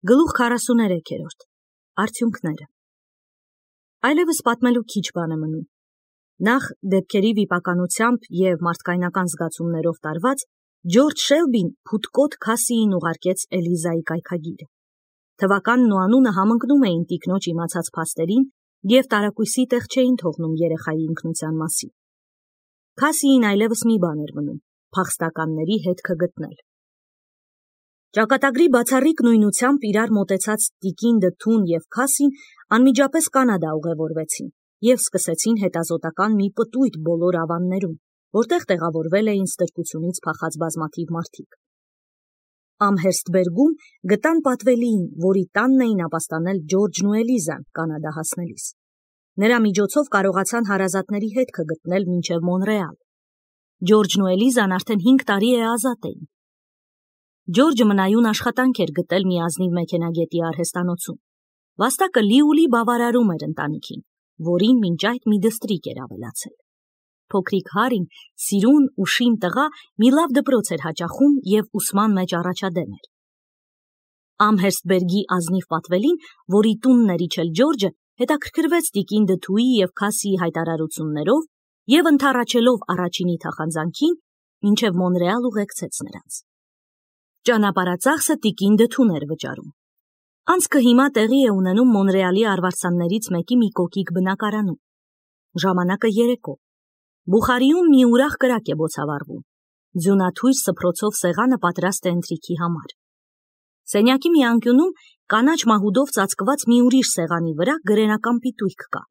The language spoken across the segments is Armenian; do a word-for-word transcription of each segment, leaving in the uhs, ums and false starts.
Գլուխ քառասուներեքերորդ Արդյունքները Այլևս պատմելու քիչ բան է մնում։ Նախ դեպքերի վիպականությամբ և մարդկայնական զգացումներով տարված Ջորջ Շելբին փութկոտ Քասիին ուղարկեց Էլիզայի կայքագիրը։ Թվականն ու անունը համընկնում էին տիկնոջ իմացած փաստերին և տարակույսի տեղ չէին թողնում երեխայի ինքնության մասին։ Քասիին այլևս մի բան էր մնում՝ փախստականների հետքը գտնել։ Ճակատագրի բացառիկ նույնությամբ իրար մոտեցած տիկին Դթուն և Քասին անմիջապես Կանադա ուղևորվեցին և սկսեցին հետազոտական մի պտույտ բոլոր ավաններում, որտեղ տեղավորվել էին ստրկությունից փախած բազմաթիվ մարդիկ։ Ամհերստբերգում գտան պատվելիին, որի տանն էին ապաստանել Ջորջն ու Էլիզան Կանադա հասնելիս։ Նրա միջոցով կարողացան հարազատների հետքը գտնել մինչև Մոնրեալ։ Ջորջն ու Էլիզան արդեն հինգ տարի է ազատ էին։ Ջորջը մնայուն աշխատանք էր գտել մի ազնիվ մեքենագետի արհեստանոցում։ Վաստակը լի-ու-լի բավարարում էր ընտանիքին, որին մինչ այդ մի դստրիկ էր ավելացել։ Փոքրիկ Հարին սիրուն ու շին տղա մի լավ դպրոց էր հաճախում և ուսման մեջ առաջադեմ էր։ Ամհերստբերգի ազնիվ պատվելին, որի տունն էր իջել Ջորջը, հետաքրքրվեց տիկին Դթուի և Քասիի հայտարարություններով և ընդառաջելով առաջինի թախանձանքին, մինչև Մոնրեալ ուղեկցեց նրանց։ Ճանապարհածախսը տիկին Դթուն էր վճարում։ Անցքը հիմա տեղի է ունենում Մոնրեալի արվարձաններից մեկի մի կոկիկ բնակարանում։ Ժամանակը երեկո։ Բուխարիում մի ուրախ կրակ է բոցավառվում։ Ձյունաթույր սփռոցով սեղանը պատրաստ է ընթրիքի համար։ Սենյակի մի անկյունում կանաչ մահուդով ծածկված մի ուրիշ սեղանի վրա գրենական պիտույք կա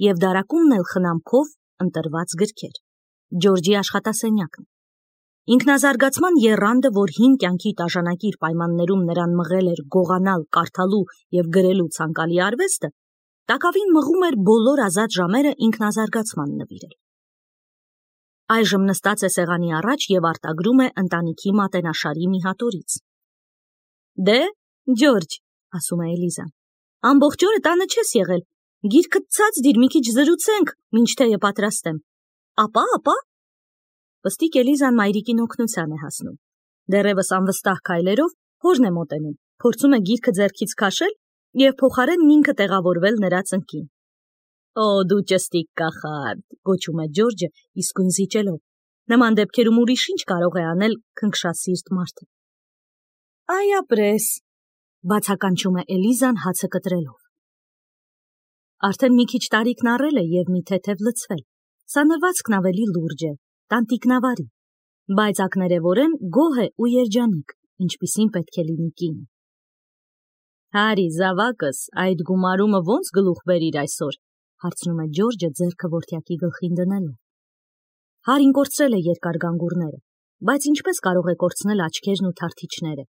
և դարակումն էլ խնամքով ընտրված գրքեր։ Ջորջի աշխատասենյակն է։ Ինքնազարգացման եռանդը, որ հին կյանքի տաժանակիր պայմաններում նրան մղել էր գողանալ, կարդալու և գրելու ցանկալի արվեստը, տակավին մղում էր բոլոր ազատ ժամերը ինքնազարգացման նվիրել։ Այժմ նստած է սեղանի առաջ և արտագրում է ընտանիքի մատենաշարի մի հատորից։ Դե, Ջորջ, ասում է Էլիզան, ամբողջ օրը տանը չես եղել, գիրքդ ցած դիր, մի քիչ զրուցենք, մինչ թեյը պատրաստեմ։ Ապա, ապա։ Պստիկ Էլիզան մայրիկին օգնության է հասնում։ Դեռևս անվստահ քայլերով հորն է մոտենում, փորձում է գիրքը ձեռքից քաշել և փոխարենն ինքը տեղավորվել նրա ծնկին։ Օ, դու ճստիկ կախարդ, գոչում է Ջորջը իսկույն զիջելով։ Նման դեպքերում ուրիշ ինչ կարող է անել քնքշասիրտ մարդը։ Այ ապրես, բացականչում է Էլիզան հացը կտրելով։ Արդեն մի քիչ տարիքն առել է և մի թեթև լցվել։ Սանրվածքն ավելի լուրջ է, տանտիկնավարի, բայց ակներևորեն գոհ է ու երջանիկ, ինչպիսին պետք է լինի կինը։ Հարի, զավակս, այդ գումարումը ո՞նց գլուխ բերիր այսօր, հարցնում է Ջորջը ձեռքը որդյակի գլխին դնելով։ Հարին կորցրել է երկար գանգուրները, բայց ինչպես կարող է կորցնել աչքերն ու թարթիչները,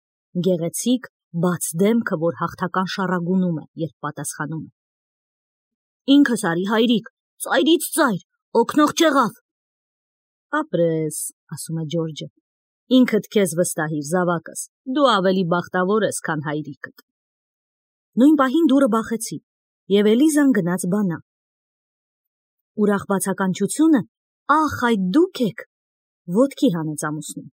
գեղեցիկ, բաց դեմքը, որ հաղթական շառագունում է, երբ պատասխանում է։ Ինքս արի, հայրիկ, ծայրից ծայր, օգնող չեղավ։ Ապրես, ասում է Ջորջը, ինքդ քեզ վստահիր, զավակս, դու ավելի բախտավոր ես, քան հայրիկդ։ Նույն պահին դուռը բախեցին, և Էլիզան գնաց բանա։ Ուրախ բացականչությունը, ախ, այդ դուք եք, ոտքի հանեց ամուսնուն։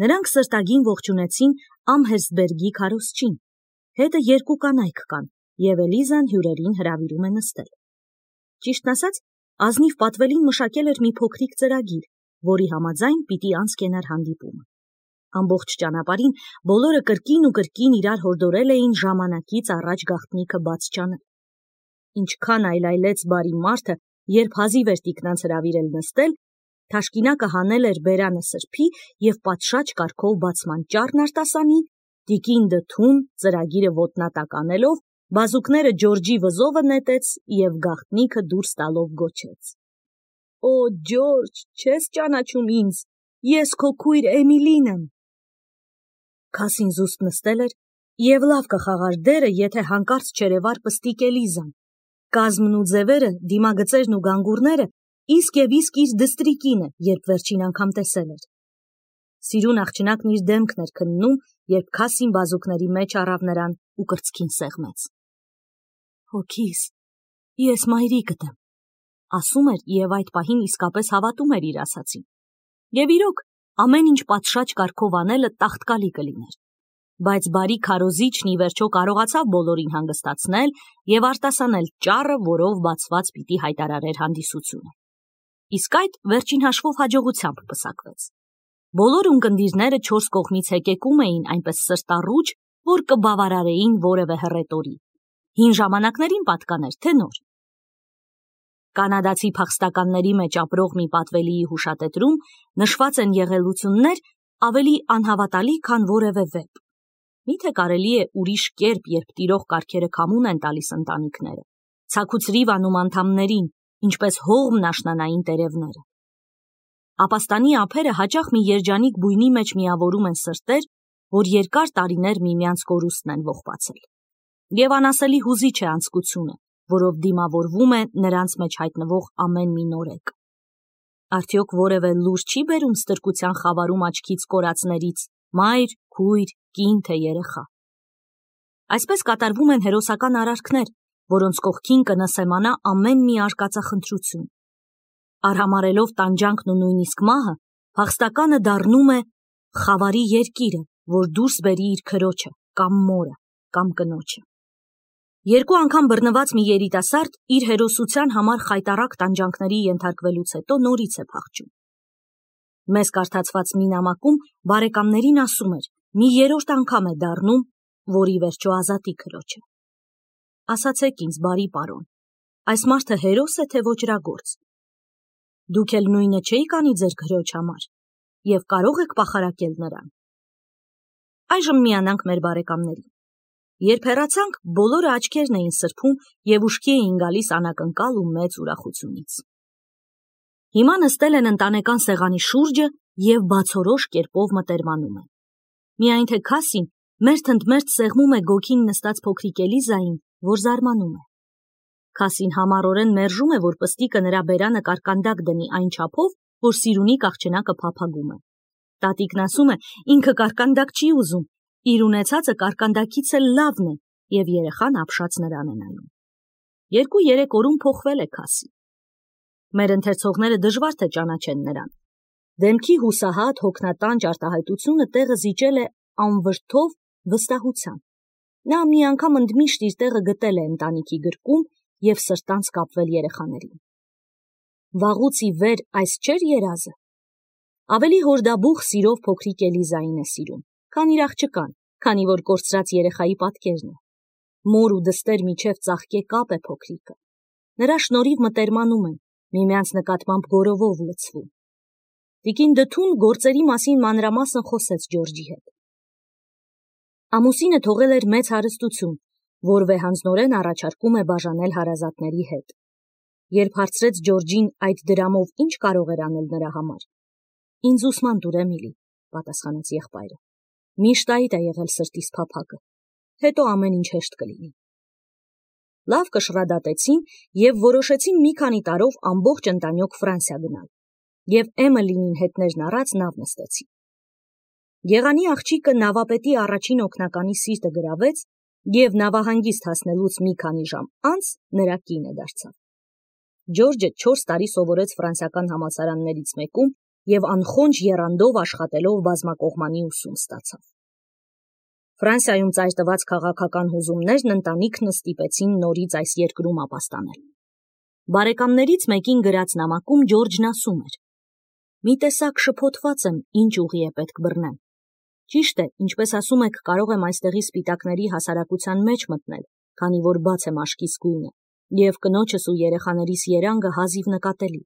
Նրանք սրտագին ողջունեցին Ամհերստբերգի քարոզչին, հետը երկու կանայք կան, և Էլիզան հյուրերին հրավիրում է նստել։ Ճիշտն ասած, ազնիվ պատվելին մշակել էր մի փոքրիկ ծրագիր, որի համաձայն պիտի անցկենար հանդիպումը։ Ամբողջ ճանապարհին բոլորը կրկին ու կրկին իրար հորդորել էին ժամանակից առաջ գաղտնիքը բաց չանել։ Ինչքան այլայլեց բարի մարդը, երբ հազիվ էր տիկնանց հրավիրել նստել, թաշկինակը հանել էր բերանը սրբի և պատշաճ կարգով բացման ճառն արտասանի, տիկին Դթուն ծրագիրը ոտնատակ անելով, բազուկները Ջորջի վզովը նետեց և գաղտնիքը դուրս տալով գոչեց. Օ, Ջորջ, չես ճանաչում ինձ, ես քո քույր Էմիլին եմ։ Քասին զուսպ նստել էր և լավ կխաղար դերը, եթե հանկարծ չերևար պստիկ Էլիզան։ Կազմն ու ձևերը, դիմագծերն ու գանգուրները իսկ և իսկ իր դստրիկինը, երբ վերջին անգամ տեսել էր։ Սիրուն աղջնակն իր դեմքն էր քննում, երբ Քասին բազուկների մեջ առավ նրան ու կրծքին սեղմեց։ Հոգիս, ես մայրիկդ եմ, ասում էր և այդ պահին իսկապես հավատում էր իր ասածին։ Եվ իրոք, ամեն ինչ պատշաճ կարգով անելը տաղտկալի կլիներ։ բայց բարի քարոզիչն ի վերջո կարողացավ բոլորին հանգստացնել և արտասանել ճառը, որով բացված պիտի հայտարարեր հանդիսությունը։ Իսկ այդ վերջին հաշվով հաջողությամբ պսակվեց։ Բոլոր ունկնդիրները չորս կողմից հեկեկում էին այնպես սրտառուչ, որ կբավարարեին որևէ հռետորի։ Հին ժամանակներին պատկաներ, թե նոր։ Կանադացի փախստականների մեջ ապրող մի պատվելիի հուշատետրում նշված են եղելություններ ավելի անհավատալի, քան որևէ վեպ։ Միթե կարելի է ուրիշ կերպ, երբ տիրող կարգերը քամուն են տալիս ընտանիքները, ցաքուցրիվ անում անդամներին, ինչպես հողմն աշնանային տերևները։ Ապաստանի ափերը հաճախ մի երջանիկ բույնի մեջ միավորում են սրտեր, որ երկար տարիներ միմյանց կորուստն են ողբացել։ Եվ անասելի հուզիչ է անձկությունը, որով դիմավորվում է նրանց մեջ հայտնվող ամեն մի նորեկ։ Արդյոք որևէ լուր չի բերում ստրկության խավարում աչքից կորածներից, մայր, քույր, կին թե երեխա։ Այսպես կատարվում են հերոսական արարքներ, որոնց կողքին կնսեմանա ամեն մի արկածախնդրություն։ Արհամարելով տանջանքն ու նույնիսկ մահը, փախստականը դառնում է խավարի երկիրը, որ դուրս բերի իր քրոջը, կամ մորը, կամ կնոջը։ Երկու անգամ բռնված մի երիտասարդ իր հերոսության համար խայտառակ տանջանքների ենթարկվելուց հետո նորից է փախչում։ Մեզ կարդացված մի նամակում բարեկամներին ասում էր, մի երրորդ անգամ է դառնում, որ ի վերջո ազատի քրոջը։ Ասացեք ինձ, բարի պարոն, այս մարդը հերոս է, թե ոճրագործ։ Դուք էլ նույնը չէիք անի ձեր քրոջ համար և կարող եք պախարակել նրան։ Այժմ միանանք մեր բարեկամներին։ Երբ հեռացանք, բոլորը աչքերն էին սրբում և ուշքի էին գալիս անակնկալ ու մեծ ուրախությունից։ Հիմա նստել են ընտանեկան սեղանի շուրջը և բացորոշ կերպով մտերմանում են։ Միայն թե Քասին մերթընդմերթ սեղմում է գոգին նստած փոքրիկ Էլիզային, որ զարմանում է։ Քասին համառորեն մերժում է, որ պստիկը նրա բերանը կարկանդակ դնի այն չափով, որ Սիրունի աղջնակը փափագում է։ Տատիկն ասում է, ինքը կարկանդակ չի ուզում, իր ունեցածը կարկանդակից էլ լավն է, և երեխան ապշած նրան է նայում։ Երկու-երեք օրում փոխվել է Քասի։ Մեր ընթերցողները դժվար թե ճանաչեն նրան։ Դեմքի հուսահատ, հոգնատանջ արտահայտությունը տեղը զիջել է անվրդով վստահության։ Նա մի անգամ ընդմիշտ իր տեղը գտել է ընտանիքի գրկում և սրտանց կապվել երեխաներին։ Վաղուց ի վեր այս չէր երազը։ Ավելի հորդաբուխ սիրով փոքրիկ Էլիզային է սիրում, քան իր աղջկան, քանի որ կորցրած երեխայի պատկերն է։ Մոր ու դստեր միջև ծաղկե կապ է փոքրիկը։ Նրա շնորհիվ մտերմանում են, միմյանց նկատմամբ գորովով լցվում։ Տիկին Դթուն գործերի մասին մանրամասն խոսեց Ջորջի հետ։ Ամուսինը թողել էր մեծ հարստություն, որ վեհանձնորեն առաջարկում է բաժանել հարազատների հետ։ Երբ հարցրեց Ջորջին այդ դրամով ինչ կարող էր անել նրա համար։ Ինձ ուսման տուր, Էմիլի, պատասխանեց եղբայրը։ Միշտ այդ է եղել սրտիս փափագը։ Հետո ամեն ինչ հեշտ կլինի։ Լավ կշռադատեցին և որոշեցին մի քանի տարով ամբողջ ընտանյոք Ֆրանսիա գնալ։ Եվ Էմելինին հետներն առած նավ նստեցին։ Եղանի աղջիկը նավապետի առաջին օգնականի սիրտը գրավեց և նավահանգիստ հասնելուց մի քանի ժամ անց նրա կինը դարձավ։ Ջորջը չորս տարի սովորեց ֆրանսիական համալսարաններից մեկում և անխոնջ եռանդով աշխատելով բազմակողմանի ուսում ստացավ։ Ֆրանսիայում ծայր տված քաղաքական հուզումներն ընտանիքն ստիպեցին նորից այս երկրում ապաստանել։ Բարեկամներից մեկին գրած նամակում Ջորջն ասում էր. «Մի տեսակ շփոթված եմ, ինչ ուղի է պետք բռնեմ։ Ճիշտ է, ինչպես ասում եք, կարող եմ այստեղի սպիտակների հասարակության մեջ մտնել, քանի որ բաց եմ աչքիս գույնը, և կնոջս ու երեխաներիս երանգը հազիվ նկատելի,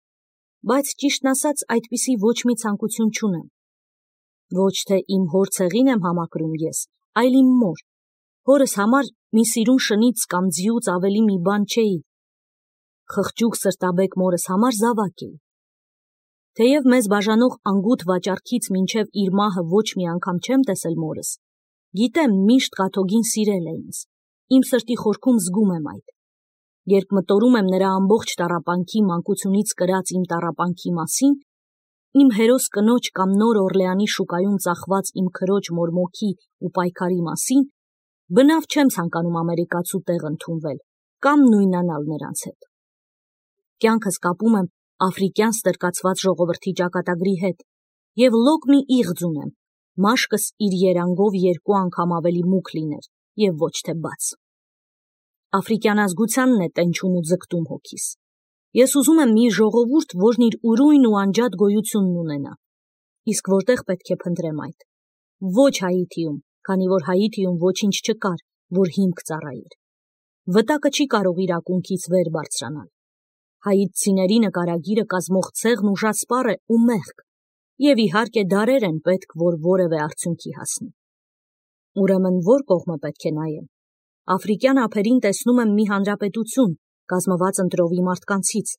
բայց ճիշտն ասած այդպիսի ոչ մի ցանկություն չունեմ։ Ոչ թե իմ հոր ցեղին եմ համակրում ես, այլ իմ մոր։ Հորս համար մի սիրուն շնից կամ ձիուց ավելի մի բան չէի։ Խղճուկ սրտաբեկ մորս համար զավակ էի։ Թեև մեզ բաժանող անգութ վաճառքից մինչև իր մահը ոչ մի անգամ չեմ տեսել մորս, գիտեմ միշտ կաթողին սիրել է ինձ, իմ սրտի խորքում զգում եմ այդ։ Երբ մտորում եմ նրա ամբողջ տառապանքի մանկությունից կրած իմ տառապանքի մասին, իմ հերոս կնոջ կամ Նոր Օրլեանի շուկայում ծախված իմ քրոջ մորմոքի ու պայքարի մասին, բնավ չեմ ցանկանում ամերիկացու տեղ ընդունվել կամ նույնանալ նրանց հետ։ Կյանքս կապում եմ աֆրիկյան ստրկացված ժողովրդի ճակատագրի հետ և լոկ մի իղձ ունեմ, մաշկս իր երանգով երկու անգամ ավելի մուգ լիներ և ոչ թե բաց։ Աֆրիկյան ազգությանն է տենչում ու ձգտում հոգիս։ Ես ուզում եմ մի ժողովուրդ, որն իր ուրույն ու անջատ գոյությունն ունենա։ Իսկ որտեղ պետք է փնտրեմ այդ։ Ոչ Հայիթիում, քանի որ Հայիթիում ոչինչ չկար, որ հիմք ծառայեր։ Վտակը չի կարող իր ակունքից վեր բարձրանալ։ Հայիթցիների նկարագիրը կազմող ցեղն ուժասպառ է ու մեղք, և իհարկե դարեր են պետք, որ որևէ արդյունքի հասնի։ Ուրեմն որ կողմը պետք է նայեմ։ Աֆրիկյան ափերին տեսնում եմ մի հանրապետություն, կազմված ընտրովի մարդկանցից,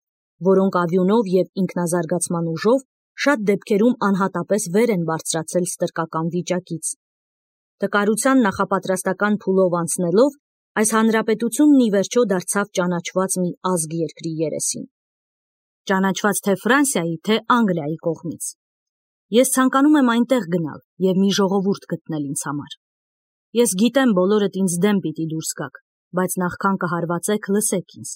որոնք ավյունով և ինքնազարգացման ուժով շատ դեպքերում անհատապես վեր են բարձրացել ստրկական վիճակից։ Տկարության նախապատրաստական փուլով անցնելով, այս հանրապետությունն ի վերջո դարձավ ճանաչված մի ազգ երկրի երեսին։ Ճանաչված թե Ֆրանսիայի, թե Անգլիայի կողմից։ Ես ցանկանում եմ այնտեղ գնալ և մի ժողովուրդ գտնել ինձ համար։ Ես գիտեմ բոլորդ ինձ դեմ պիտի դուրս գաք, բայց նախքան կհարվածեք, լսեք ինձ։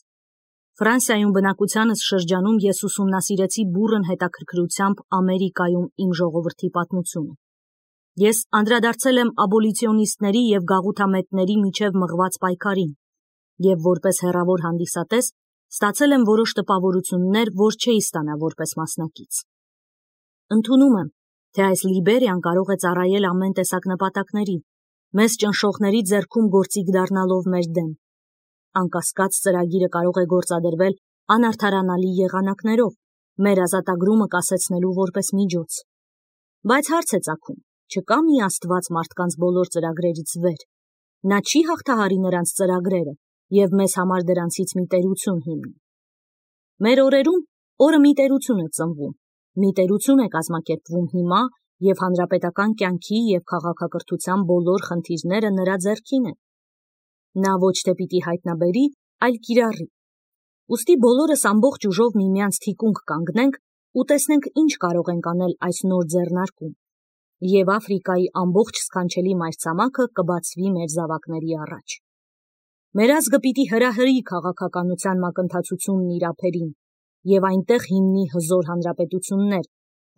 Ֆրանսիայում բնակությանս շրջանում ես ուսումնասիրեցի բուռն հետաքրքրությամբ Ամերիկայում իմ ժողովրդի պատմությունը։ Ես անդրադարձել եմ աբոլիցիոնիստների և գաղութամետների միջև մղված պայքարին և որպես հեռավոր հանդիսատես ստացել եմ որոշ տպավորություններ, որ չէի ստանա որպես մասնակից։ Ընդունում եմ, թե այս Լիբերիան կարող է ծառայել ամեն տեսակ նպատակների, մեզ ճնշողների ձեռքում գործիք դառնալով մեր դեմ։ Անկասկած ծրագիրը կարող է գործադրվել անարդարանալի եղանակներով, մեր ազատագրումը կասեցնելու որպես միջոց։ Բայց հարց է ծագում, չկա մի Աստված մարդկանց բոլոր ծրագրերից վեր։ Նա չի հաղթահարի նրանց ծրագրերը և մեզ համար դրանցից մի տերություն հիմնի։ Մեր օրերում օրը մի տերություն է ծնվում, մի տերություն է կազմակերպվում հիմա և հանրապետական կյանքի և քաղաքակրթության բոլոր խնդիրները նրա ձեռքին են։ Նա ոչ թե պիտի հայտնաբերի, այլ կիրառի։ Ուստի բոլորս ամբողջ ուժով միմյանց թիկունք կանգնենք ու տեսնենք ինչ կարող ենք անել այս նոր ձեռնարկում, և Աֆրիկայի ամբողջ սքանչելի մայրցամաքը կբացվի մեր զավակների առաջ։ Մեր ազգը պիտի հրահրի քաղաքականության մակընթացությունն իր ափերին և այնտեղ հիմնի հզոր հանրապետություններ,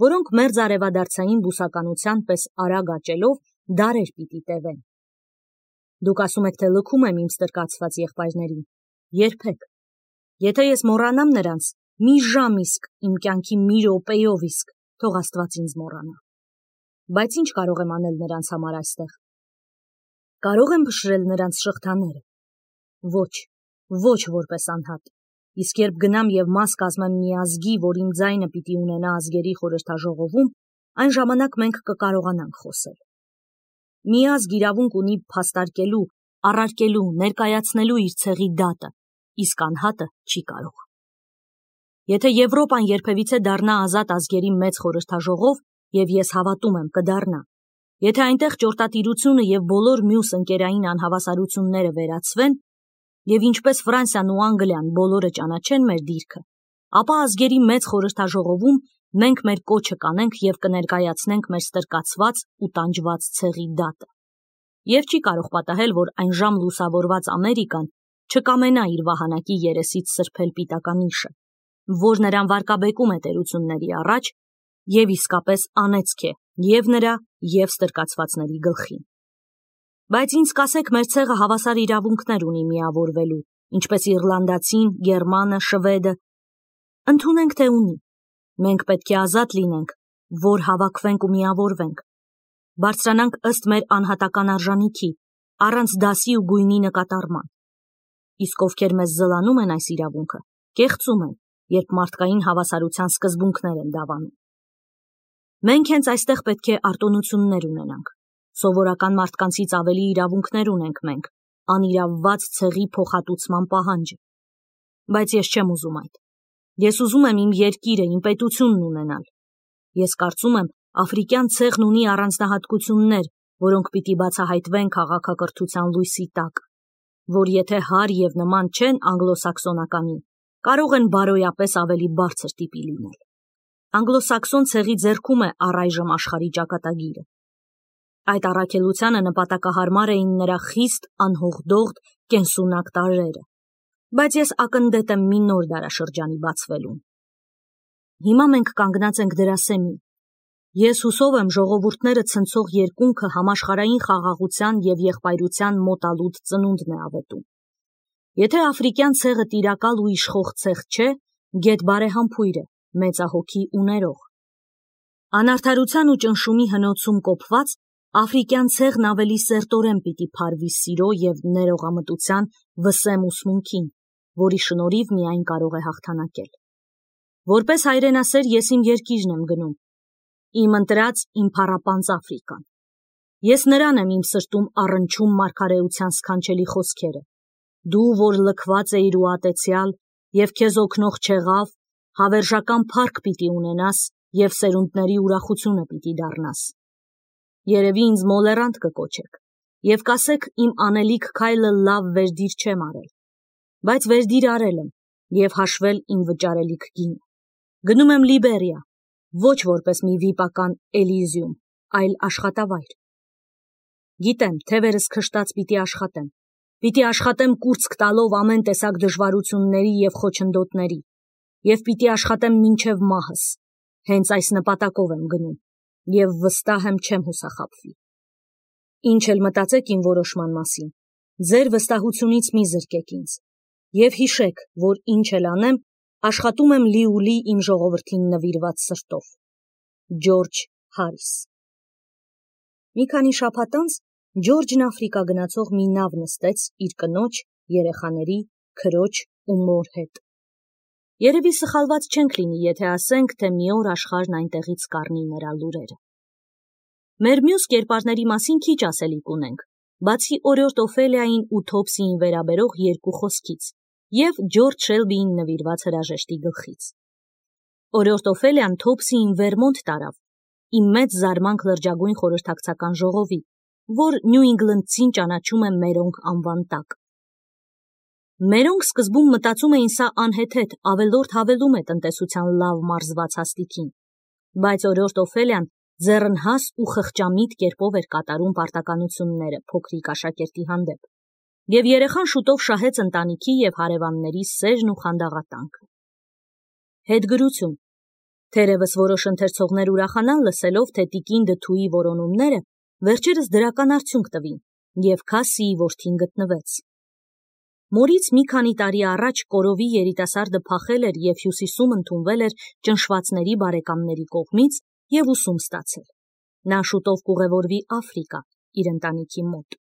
որոնք մերձարևադարձային բուսականության պես արագ աճելով դարեր պիտի տևեն։ Դուք ասում եք, թե լքում եմ իմ ստրկացված եղբայրներին։ Երբեք։ Եթե ես մոռանամ նրանց, մի ժամ իսկ, իմ կյանքի մի րոպեով իսկ, թող Աստված ինձ մոռանա։ Բայց ինչ կարող եմ անել նրանց համար այստեղ։ Կարող եմ փշրել նրանց շղթաները։ Ոչ, ոչ որպես անհատ։ Իսկ երբ գնամ և մաս կազմեմ մի ազգի, որ իմ ձայնը պիտի ունենա ազգերի խորհրդաժողովում, այն ժամանակ մենք կկարողանանք խոսել։ Մի ազգ իրավունք ունի փաստարկելու, առարկելու, ներկայացնելու իր ցեղի դատը, իսկ անհատը չի կարող։ Եթե Եվրոպան երբևիցե դառնա ազատ ազգերի մեծ խորհրդաժողով, և ես հավատում եմ կդառնա, եթե այնտեղ ճորտատիրությունը և բոլոր մյուս ընկերային անհավասարությունները վերացվեն, և ինչպես Ֆրանսիան ու Անգլիան բոլորը ճանաչեն մեր դիրքը, ապա ազգերի մեծ խորհրդաժողովում մենք մեր կոչը կանենք և կներկայացնենք մեր ստրկացված ու տանջված ցեղի դատը։ Եվ չի կարող պատահել, որ այնժամ լուսավորված Ամերիկան չկամենա իր վահանակի երեսից սրբել պիտականիշը, որ նրան վարկաբեկում է տերությունների առաջ և իսկապես անեծք է և նրա, և ստրկացվածների գլխին։ Բայց ինձ կասեք, մեր ցեղը հավասար իրավունքներ ունի միավորվելու, ինչպես իռլանդացին, գերմանը, շվեդը։ Ընդունենք, թե ունի։ Մենք պետք է ազատ լինենք, որ հավաքվենք ու միավորվենք։ Բարձրանանք ըստ մեր անհատական արժանիքի, առանց դասի ու գույնի նկատառման։ Իսկ ովքեր մեզ զլանում են այս իրավունքը, կեղծում են, երբ մարդկային հավասարության սկզբունքներ են դավանում։ Մենք հենց այստեղ պետք է արտոնություններ ունենանք։ Սովորական մարդկանցից ավելի իրավունքներ ունենք մենք, անիրավված ցեղի փոխհատուցման պահանջը։ Բայց ես չեմ ուզում այդ։ Ես ուզում եմ իմ երկիրը, իմ պետությունն ունենալ։ Ես կարծում եմ, աֆրիկյան ցեղն ունի առանձնահատկություններ, որոնք պիտի բացահայտվեն քաղաքակրթության լույսի տակ, որ եթե հար և նման չեն անգլոսաքսոնականի, կարող են բարոյապես ավելի բարձր տիպի լինել։ Անգլոսաքսոն ցեղի ձեռքում է առայժմ աշխարհի ճակատագիրը։ Այդ առաքելությանը նպատակահարմար էին նրա խիստ, անհողդողդ, կենսունակ տարրերը։ Բայց ես ակնդետ եմ մի նոր դարաշրջանի բացվելուն։ Հիմա մենք կանգնած ենք դրա սեմին։ Ես հուսով եմ ժողովուրդները ցնցող երկունքը համաշխարհային խաղաղության և եղբայրության մոտալուտ ծնունդն է ավետում։ Եթե աֆրիկյան ցեղը տիրակալ ու իշխող ցեղ չէ, գեթ բարեհամբույր է, մեծահոգի ու ներող։ Անարդարության ու ճնշումի հնոցում կոփված, աֆրիկյան ցեղն ավելի սերտորեն պիտի փարվի սիրո և ներողամտության վսեմ ուսմունքին, որի շնորհիվ միայն կարող է հաղթանակել։ Որպես հայրենասեր ես իմ երկիրն եմ գնում, իմ ընտրած, իմ փառապանծ Աֆրիկան։ Ես նրան եմ իմ սրտում առնչում մարգարեության սքանչելի խոսքերը. «Դու, որ լքված էիր ու ատեցյալ, և քեզ օգնող չեղավ, հավերժական փառք պիտի ունենաս և սերունդների ուրախությունը պիտի դառնաս»։ Երևի ինձ մոլեռանդ կկոչեք և կասեք իմ անելիք քայլը լավ վերդիր չեմ արել, բայց վերդիր արել եմ և հաշվել իմ վճարելիք գինը։ Գնում եմ Լիբերիա, ոչ որպես մի վիպական Էլիզիում, այլ աշխատավայր։ Գիտեմ, թևերս քշտած պիտի աշխատեմ, պիտի աշխատեմ կուրծք տալով ամեն տեսակ դժվարությունների և խոչընդոտների, և պիտի աշխատեմ մինչև մահս, հենց այս նպատակով եմ գնում, և վստահ եմ չեմ հուսախաբվի։ Ինչ էլ մտածեք իմ որոշման մասին, ձեր վստահությունից մի զրկեք ինձ, և հիշեք, որ ինչ էլ անեմ, աշխատում եմ լիուլի իմ ժողովրդին նվիրված սրտով։ Ջորջ Հարիս։ Մի քանի շաբաթ անց Ջորջն Աֆրիկա գնացող մի նավ նստեց իր կնոջ, երեխաների, քրոջ ու մոր հետ։ Երևի սխալված չենք լինի, եթե ասենք, թե մի օր աշխարհն այնտեղից կառնի նրա լուրերը։ Մեր մյուս կերպարների մասին քիչ ասելիք ունենք, բացի օրիորդ Օֆելիային ու Թոփսիին վերաբերող երկու խոսքից և Ջորջ Շելբիին նվիրված հրաժեշտի գլխից։ Օրիորդ Օֆելիան Թոփսիին Վերմոնտ տարավ, իմ մեծ զարմանք լրջագույն խորհրդակցական ժողովի, որ Նյու Ինգլնդցին ճանաչում է Մերոնք անվան տակ։ Մերոնք սկզբում մտածում էին սա անհեթեթ ավելորդ հավելում է տնտեսության լավ մարզված հաստիքին, բայց օրիորդ Օֆելիան ձեռնհաս ու խղճամիտ կերպով էր կատարում պարտականությունները փոքրիկ աշակերտի հանդեպ, և երեխան շուտով շահեց ընտանիքի և հարևանների սերն ու խանդաղատանքը։ Հետգրություն։ Թերևս որոշ ընթերցողներ ուրախանան լսելով, թե տիկին Դթուի որոնումները վերջերս դրական արդյունք տվին, և Քասիի որդին գտնվեց։ Մորից մի քանի տարի առաջ Կորովի երիտասարդը փախել էր և Հյուսիսում ընդունվել էր ճնշվածների բարեկամների կողմից և ուսում ստացել։ Նա շուտով կուղևորվի Աֆրիկա իր ընտանիքի մոտ։